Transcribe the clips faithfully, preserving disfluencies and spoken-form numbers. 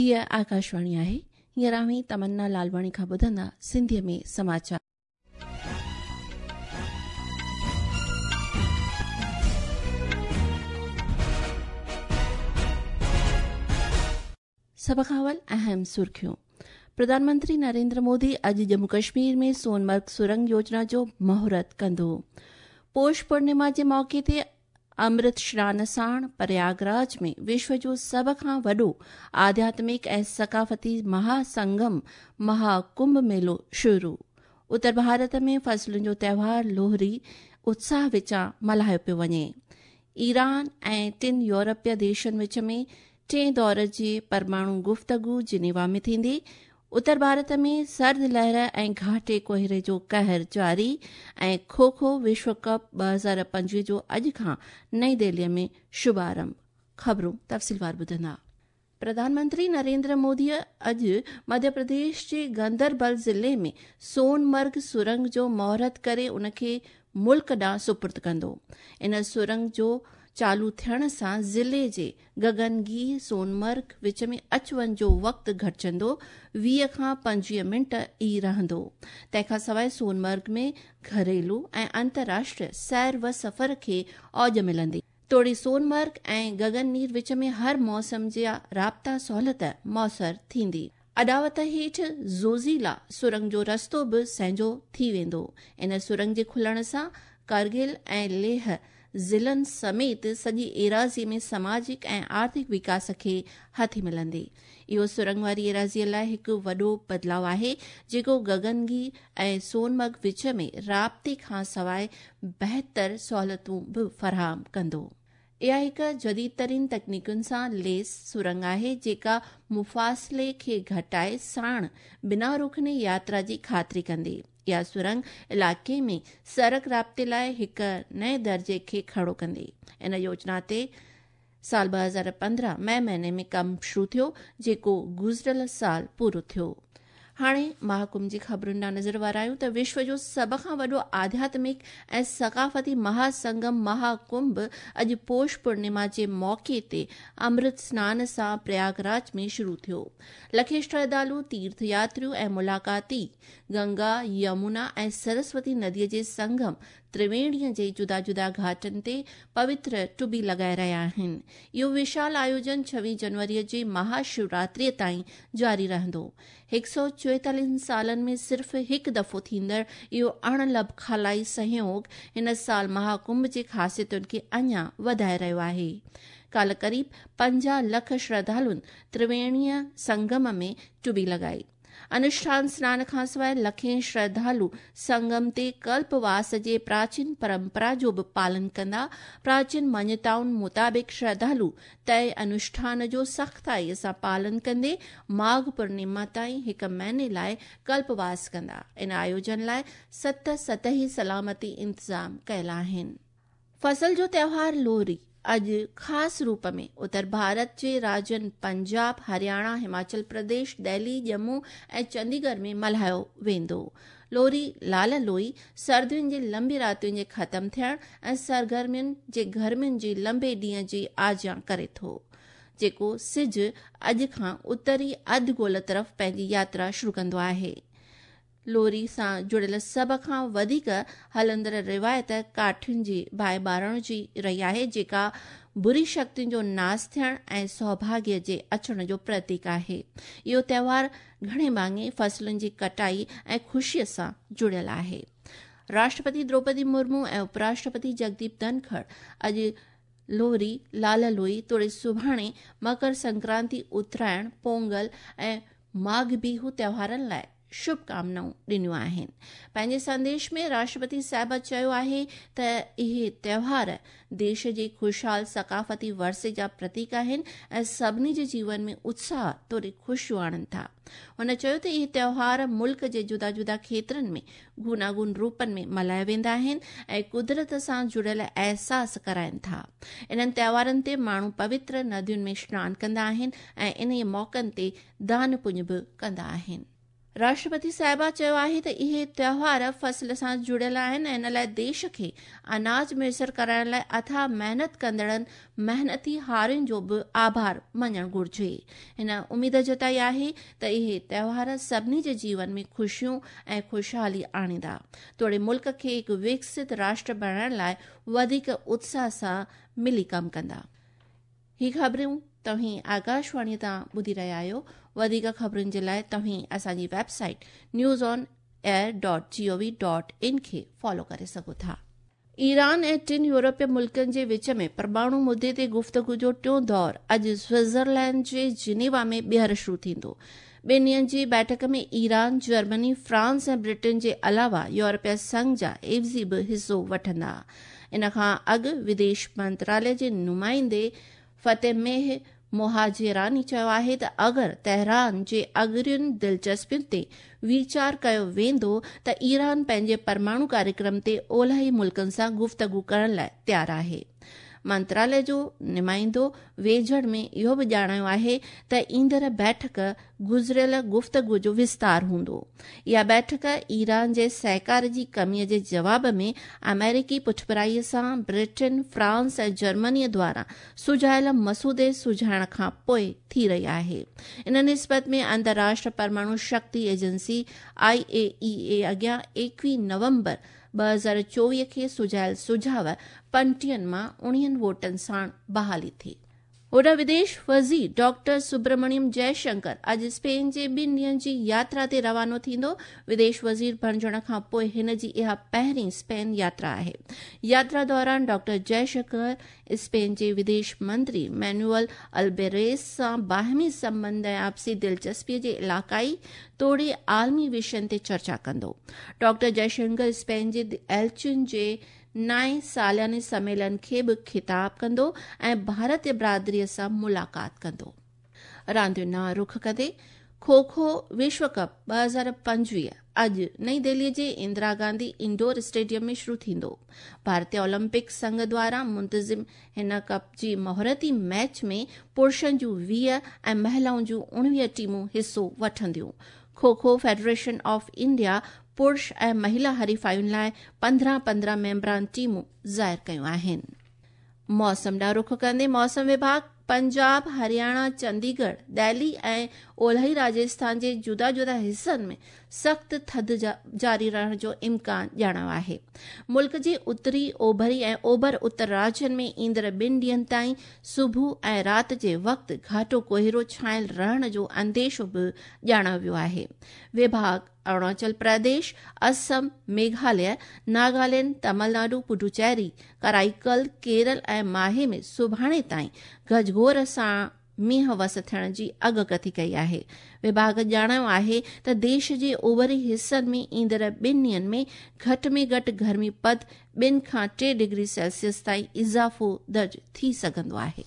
हीअ आकाशवाणी आहे। हींअर अव्हीं तमन्ना लालवाणी खां ॿुधंदा सिंधीअ में समाचार। सभ खां अवल अहम सुर्खियूं। प्रधानमंत्री नरेंद्र मोदी अॼु जम्मू कश्मीर में सोनमर्ग सुरंग योजना जो मुहूर्त कंदो। पौष पूर्णिमा जे मौक़े ते अमृत स्नान साण प्रयागराज में विश्व जो सभ खां वॾो आध्यात्मिक ऐं सकाफ़ती महासंगम महाकुंभ मेलो शुरू। उत्तर भारत में फसलुनि जो त्योहार लोहरी उत्साह विचां मल्हायो पियो वञे। ईरान ऐं टिनि यूरोपीय देशनि विच में टे दौर जी परमाणु गुफ्तगू जिनेवा में थींदी। उत्तर भारत में सर्द लहर ऐं घाटे कोहरे जो कहर जारी। ऐं खो खो विश्व कप ॿ हज़ार पंजवीह जो अॼु खां नई दिल्लीअ में शुभारंभ। ख़बरूं तफ़सीलवार ॿुधंदा। प्रधानमंत्री नरेंद्र मोदीअ अॼु मध्य प्रदेश जे गंदरबल ज़िले में सोनमर्ग सुरंग जो मुहूर्त करे उनखे मुल्क ॾांहुं सुपुर्द कंदो। इन सुरंग जो चालू थियण सां ज़िले जे गगनगीर सोनमर्ग विच में अच वञ जो वक़्तु घटिजंदो, वीह खां पंजवीह मिंट ई रहंदो। तंहिंखां सवाइ सोनमर्ग में घरेलू ऐं अंतर्राष्ट्रीय सैर व सफ़र खे औज मिलंदी। तोड़े सोनमर्ग ऐं गगननीर विच में हर मौसम जा राब्ता सहूलियत मौसर थींदी। अॾावत हेठि ज़ोज़िला सुरंग जो रस्तो बि संहिजो थी वेंदो। इन सुरंग जे खुलण सां कारगिल ऐं लेह ज़िलनि समेत सॼी एराज़ी में समाजिक ऐं आर्थिक विकास खे हथी मिलंदी। इहो सुरंग वारी एराज़ीअ लाइ हिकु वॾो बदिलाव आहे, जेको गगनगीर ऐं सोनमर्ग विच में राब्ते खां सवाइ बहितर सहूलियतूं बि फराहम कंदो। इहा हिकु जदीद तरीन तकनीकुनि सां लेस सुरंग आहे, जेका मुफ़ासिले खे घटाए साण बिना रुकने यात्रा जी ख़ातिरी कंदी। इहा सुरंग इलाइक़े में सड़क राब्ते लाइ हिकु नए दर्जे खे खड़ो कंदी। इन योजना ते साल ॿ हज़ार पंद्रहं मई महीने में कमु शुरू थियो, जेको गुज़िरियल साल पूरो थियो। हाणे महाकुंभ जी ख़बरुनि ॾांहुं नज़र वारायूं त विश्व जो सभ खां वॾो आध्यात्मिक ऐं सकाफ़ती महासंगम महाकुंभ अॼु पौष पूर्णिमा जे मौक़े ते अमृत स्नान सां प्रयागराज में शुरू थियो। लखे श्रद्धालु, तीर्थ यात्रियूं ऐं मुलाक़ाती गंगा, यमुना ऐं सरस्वती नदीअ जे संगम त्रिवेणीअ जे जुदा जुदा घाटनि ते पवित्र टुबी लॻाए रहिया आहिनि। इहो विशाल आयोजन छवीह जनवरीअ जे महाशिवरात्रीअ ताईं जारी रहंदो। हिकु सौ चोएतालीहनि सालनि में सिर्फ़ु हिकु दफ़ो थींदड़ इहो अणलभ खलाई सहयोग हिन साल महाकुंभ जे ख़ासियतुनि खे अञा वधाए रहियो आहे। काल्ह क़रीब पंजाह लख श्रद्धालुनि त्रिवेणीअ संगम में टुबी लॻाई। अनुष्ठान स्नान खां सवाइ लखे श्रद्धालु संगम ते कल्पवास जे प्राचीन परंपरा जो बि पालन कंदा। प्राचीन मान्यताउनि मुताबिक़ श्रद्धालु तय अनुष्ठान जो सख़्ताईअ सां पालन कंदे माघ पूर्णिमा ताईं हिकु महीने लाइ कल्पवास कंदा। इन आयोजन लाइ सत सतही सलामती इंतज़ाम कयल आहिनि। फसल जो त्योहार लोहरी अॼु ख़ासि रूप में उत्तर भारत जे राज्यनि पंजाब, हरियाणा, हिमाचल प्रदेश, दिल्ली, जम्मू ऐं चंडीगढ़ में मल्हायो वेंदो। लोहरी लाल लोई सर्दियुनि जे लंबी रातियुनि जे ख़तमु थियण ऐं सरगर्मियुनि जे गर्मियुनि जे लंबे ॾींहं जी आजियां करे थो, जेको सिज अॼु खां उत्तरी अधु गोल तरफ़ पंहिंजी यात्रा शुरू कंदो आहे। लोहरी सां जुड़ियल सभ खां वधीक हलंदड़ रिवायत काठियुनि जी बाहि ॿारण जी रही आहे, जेका बुरी शक्तियुनि जो नास थियण ऐं सौभाग्य जे अचण जो प्रतीक आहे। इहो त्योहार घणे भाङे फसलुनि जी कटाई ऐं ख़ुशीअ सां जुड़ियल आहे। राष्ट्रपति द्रौपदी मुर्मू ऐं उपराष्ट्रपति जगदीप धनखड़ अॼु लोहरी, लाल लोई तोड़े सुभाणे मकर संक्रांति, उत्तरायण, पोंगल ऐं माघ बिहू त्योहारनि लाइ शुभकामनाऊं ॾिनियूं आहिनि। पंहिंजे संदेश में राष्ट्रपति साहिब चयो आहे त इहे त्योहार देश जे ख़ुशहाल सकाफ़ती वर्से जा प्रतीक आहिनि ऐं सभिनी जे जीवन में उत्साह तोड़े ख़ुशियूं आणनि था। हुन चयो त इहे त्योहार मुल्क जे जुदा जुदा खेत्रनि में गुनागुन रूपनि में मल्हाया वेंदा आहिनि ऐं कुदरत सां जुड़ियल अहसास कराइनि था। इन्हनि त्योहारनि ते माण्हू पवित्र नदियुनि में स्नान कंदा आहिनि ऐं इन मौक़नि ते दान पुञ बि कंदा आहिनि। राष्ट्रपति साहिबा चयो आहे त इहे त्योहार फसल सां जुड़ियल आहिनि ऐं इन लाइ देश खे अनाज मुयसर कराइण लाइ अथाह महिनत कंदड़नि महिनती हारियुनि जो बि आभार मञणु घुरिजे। हिन उमेद जताई आहे त इहे त्योहार सभिनी जे जीवन में ख़ुशियूं ऐं ख़ुशहाली आणींदा, तोड़े मुल्क खे हिकु विकसित राष्ट्र बणाइण लाइ वधीक उत्साह सां मिली कमु कंदा। ही ख़बरूं तव्हीं आकाशवाणी तां ॿुधी रहिया आहियो। वधीक ख़बरुनि जे लाइ तव्हीं असांजी website news on air dot G O V dot in खे फॉलो करे सघो था। ईरान ऐं टिनि यूरोपीय मुल्कनि जे विच में परमाणु मुद्दे ते गुफ्तगू जो टियों दौर अॼु स्विट्ज़रलैंड जे जिनेवा में ॿीहर शुरू थींदो। ॿिनि ॾींहंनि जी बैठक में ईरान, जर्मनी, फ्रांस ऐं ब्रिटेन जे अलावा यूरोपीय संघ जा एवज़ी बि हिसो वठंदा। इन खां अॻु विदेश मंत्रालय जे नुमाइंदे फतेमेह मोहाजिरानी चयो आहे त अगरि तेहरान जे अग्रियुनि दिलचस्पियुनि ते वीचार कयो वेंदो त ईरान पंहिंजे परमाणु कार्यक्रम ते ओलही मुल्कनि सां गुफ्तगू करण लाइ तयारु आहे। मंत्रालय जो नुमाइंदो वेझड़ में इहो बि ॼाणायो आहे त ईंदड़ बैठक गुज़िरियल गुफ्तगू जो विस्तार हूंदो। इहा बैठक ईरान जे सहकार जी कमीअ जे जवाब में अमेरिकी पुठभराईअ सां ब्रिटेन, फ्रांस ऐं जर्मनीअ द्वारा सुझायल मसूदे सुझाइण खां पोइ थी रही आहे। इन निस्बत में अंतर्राष्ट्रीय परमाणु शक्ति एजेंसी आई ए ई ए अॻियां एकवीह नवंबर ॿ हज़ार चोवीह खे सुझायल सुझाव पंटीहनि मां उणिवीहनि वोटनि साण बहाली थी। होॾां विदेश वज़ीर डॉक्टर सुब्रमण्यम जयशंकर अॼु स्पेन जे ॿिनि ॾींहंनि जी यात्रा ते रवानो थींदो। विदेश वज़ीर बणिजण खां पोइ हिन जी इहा पहिरीं स्पेन यात्रा आहे। यात्रा दौरान डॉक्टर जयशंकर स्पेन जे विदेश मंत्री मैनुअल अल्बेरेस सां बाहमी संबंध ऐं आपसी दिलचस्पीअ जे इलाक़ाई तोड़े आलमी विषयनि ते चर्चा कंदो। डॉक्टर जयशंकर स्पेन जे एल्चियुनि जे नाए सालाने सम्मेलन खे बि खिताब कंदो ऐं भारतीय बिरादरीअ सां मुलाक़ात कंदो। रांदियुनि ॾांहुं रुख कंदे खो खो विश्व कप ॿ हज़ार पंजवीह अॼु नई दिल्लीअ जे इंदिरा गांधी इंडोर स्टेडियम में शुरू थींदो। भारतीय ओलंपिक संघ द्वारा मुंतज़िम हिन कप जी मुहूर्ती मैच में पुरुषनि जूं वीह ऐं महिलाउनि जूं उणिवीह टीमूं हिसो वठंदियूं। Kho kho federation of India पुरुष ऐं महिला हरीफायुनि लाइ पंद्रहं पंद्रहं मेंबरान टीमूं ज़ाहिर कयूं आहिनि। मौसम ॾांहुं रुख कंदे मौसम विभाग पंजाब, हरियाणा, चंडीगढ़, दिल्ली ऐं ओलही राजस्थान जे जुदा जुदा हिसनि में सख़्तु थधि जारी रहण जो इम्कान ॼाणायो आहे। मुल्क जे उत्तरी, ओभरी ऐं ओभर उत्तर राज्यनि में ईंदड़ ॿिनि ॾींहंनि ताईं सुबुह ऐं राति जे वक़्तु घाटो कोहिरो छायल रहण जो अंदेशो बि ॼाणायो वियो आहे। विभाग अरुणाचल प्रदेश, असम, मेघालय, नागालैंड, तमिलनाडु, पुडुचेरी, कराईकल, केरल ऐं माहे में सुभाणे ताईं गजघोर सां मींहुं वस थियण जी अॻकथी कई आहे। विभाग ॼाणायो आहे त देश जे ओभरी हिसनि में ईंदड़ ॿिनि ॾींहंनि में घटि में घटि गर्मी पद ॿिनि खां टे डिग्री सेल्सियस ताईं इज़ाफ़ो दर्ज थी सघंदो आहे।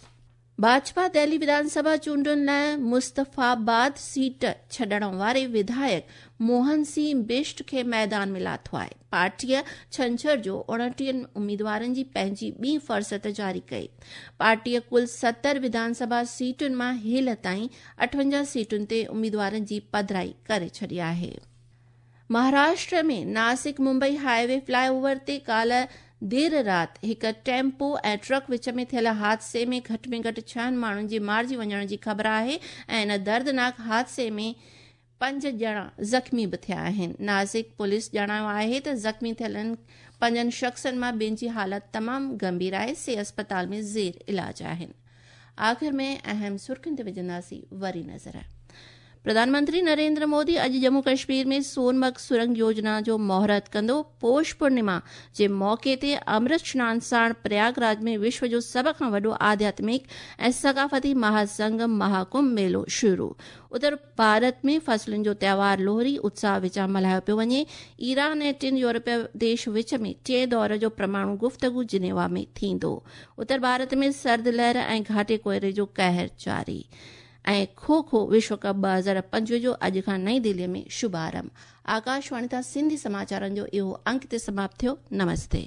भाजपा दिल्ली विधानसभा चूंडुनि लाइ मुस्तफ़ाबाद सीट छॾण वारे विधायक मोहन सिंह बिष्ट खे मैदान में लाथो आहे। पार्टीअ छंछर जो उणिटीहनि उम्मीदवारनि जी पंहिंजी ॿी फहरिस्त जारी कई। पार्टीअ कुल सतरि विधानसभा सीटुनि मां हेल ताईं अठवंजाह सीटुनि ते उम्मीदवारनि जी पधराई करे छॾी आहे। महाराष्ट्र में नासिक मुंबई हाईवे फ्लाईओवर ते काल्ह देरि राति हिकु टेम्पो ऐं ट्रक विच में थियल हादसे में घटि में घटि छहनि माण्हुनि जे मारिजी वञण जी ख़बर आहे ऐं इन दर्दनाक हादसे में पंज ॼणा ज़ख़्मी बि थिया आहिनि। नासिक पुलिस ॼाणायो आहे त ज़ख़्मी थियलनि पंजनि शख़्सनि मां ॿिनि जी हालत तमामु गंभीर आहे, से अस्पताल में ज़ेर इलाज आहिनि। आख़िर में अहम सुर्खियुनि ते विझंदासीं वरी नज़र। प्रधानमंत्री नरेंद्र मोदी अॼु जम्मू कश्मीर में सोनमर्ग सुरंग योजना जो मुहूर्त कंदो। पौष पूर्णिमा जे मौक़े ते अमृत स्नान साण प्रयागराज में विश्व जो सभ खां वॾो आध्यात्मिक ऐं सकाफ़ती महासंगम महाकुंभ मेलो शुरू। उत्तर भारत में फसलुनि जो त्योहार लोहरी उत्साह विचां मल्हायो पियो वञे। ईरान ऐं टिनि यूरोपीय देश विच में टे दौर जो परमाणु गुफ्तगू जिनेवा में थींदो। उत्तर भारत में सर्द लहर ऐं घाटे कोहरे जो कहर जारी। ऐं खो खो विश्व कप ॿ हज़ार पंजवीह जो अॼु खां नई दिल्लीअ में शुभारंभ। आकाशवाणी तां सिंधी समाचारनि जो इहो अंक ते समाप्त थियो। नमस्ते।